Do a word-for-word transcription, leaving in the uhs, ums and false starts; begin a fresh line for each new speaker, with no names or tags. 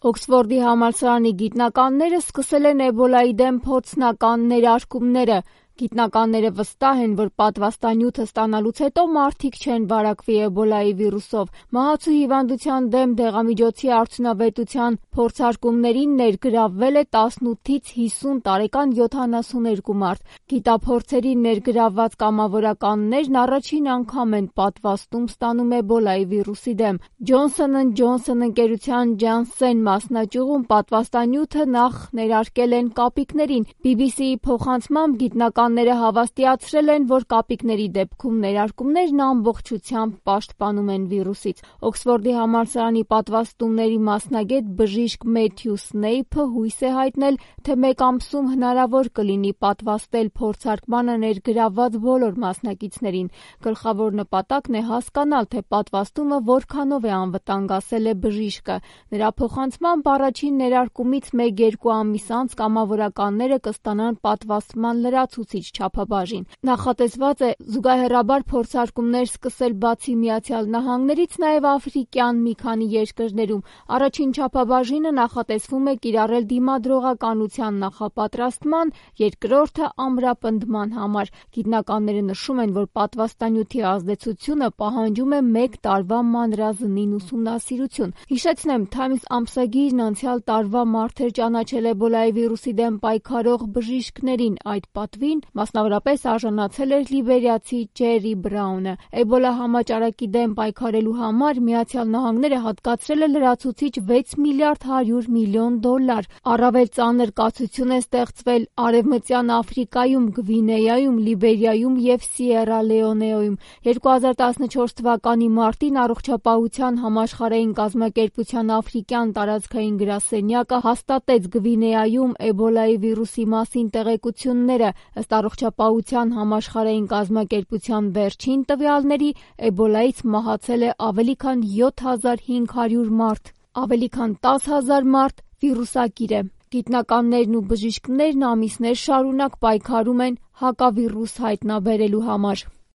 Օքսֆորդի համալսարանի գիտնականները սկսել են էբոլայի դեմ փորձնական ներարկումները։ Գիտնականները վստահ են, որ պատվաստանյութը ստանալուց հետո մարդիկ չեն վարակվի էբոլայի վիրուսով։ Մահացու հիվանդության դեմ դեղամիջոցի արդյունավետության փորձարկումներին ներգրավվել է տասնութից հիսուն տարեկան յոթանասուներկու մարդ։ Գիտափորձերի ներգրավված կամավորականներն առաջին անգամ են պատվաստում ստանում էբոլայի վիրուսի դեմ։ Ջոնսոն էնդ Ջոնսոն ընկերության Janssen մասնաճյուղում պատվաստանյութը նախ ներարկել են կապիկներին։ բի բի սի-ի փոխանցմամբ գիտնականները հավաստիացրել են, որ կապիկների դեպքում ներարկումներն ամբողջությամբ պաշտպանում են վիրուսից։ Օքսֆորդի համալսարանի պատվաստումների մասնագետ բժիշկ Մեթյու Սնեյփը հույս է հայտնել, թե մեկ ամսում հնարավոր կլինի պատվաստել փորձարկմանը ներգրավված բոլոր մասնակիցներին։ Գլխավոր նպատակն է հասկանալ, թե պատվաստումը որքանով է անվտանգ, ասել է բժիշկը։ Նրա փոխանցմամբ առաջին ներարկումից մեկ-երկու ամիս անց կամավորականները կստանան պատվաստման լրացուցիչ չափաբաժին։ Նախատեսված է զուգահեռաբար փորձարկումներ սկսել բացի Միացյալ Նահանգներից, նաև աֆրիկյան մի քանի երկրներում։ Առաջին չափաբաժինը նախատեսվում է կիրառել դիմադրողականության նախապատրաստման, երկրորդը ամրապնդման համար։ Գիտնականները նշում են, որ պատվաստանյութի ազդեցությունը պահանջում է մեկ տարվա մանրազնին ուսումնասիրություն։ Հիշեցնեմ, Times ամսագիրն անցյալ տարվա մարդ էր ճանաչել էբոլայի վիրուսի դեմ պայքարող բժիշկներին։ Այդ պատվին մասնավորապես արժանացել էր լիբերիացի Ջերի Բրաունը։ Էբոլա համաճարակի դեմ պայքարելու համար Միացյալ Նահանգները հատկացրել է լրացուցիչ վեց միլիարդ հարյուր միլիոն դոլար։ Առավել ծանր կացություն է ստեղծվել Արևմտյան Աֆրիկայում, Գվինեայում, Լիբերիայում և Սիերա Լեոնեում։ երկու հազար տասնչորս թվականի մարտին Առողջապահության համաշխարհային կազմակերպության աֆրիկյան տարածքային գրասենյակը հաստատեց Գվինեայում էբոլայի վիրուսի մասին տեղեկությունները։ Ըստ Առողջապահության համաշխարհային կազմակերպության վերջին տվյալների, էբոլայից մահացել է ավելի քան յոթ հազար հինգ հարյուր մարդ, ավելի քան տասը հազար մարդ վիրուսակիր է։ Գիտնականներն ու բժիշկներն ամիսներ շարունակ պայքարում են հակավիրուս հայտնաբերելու համար։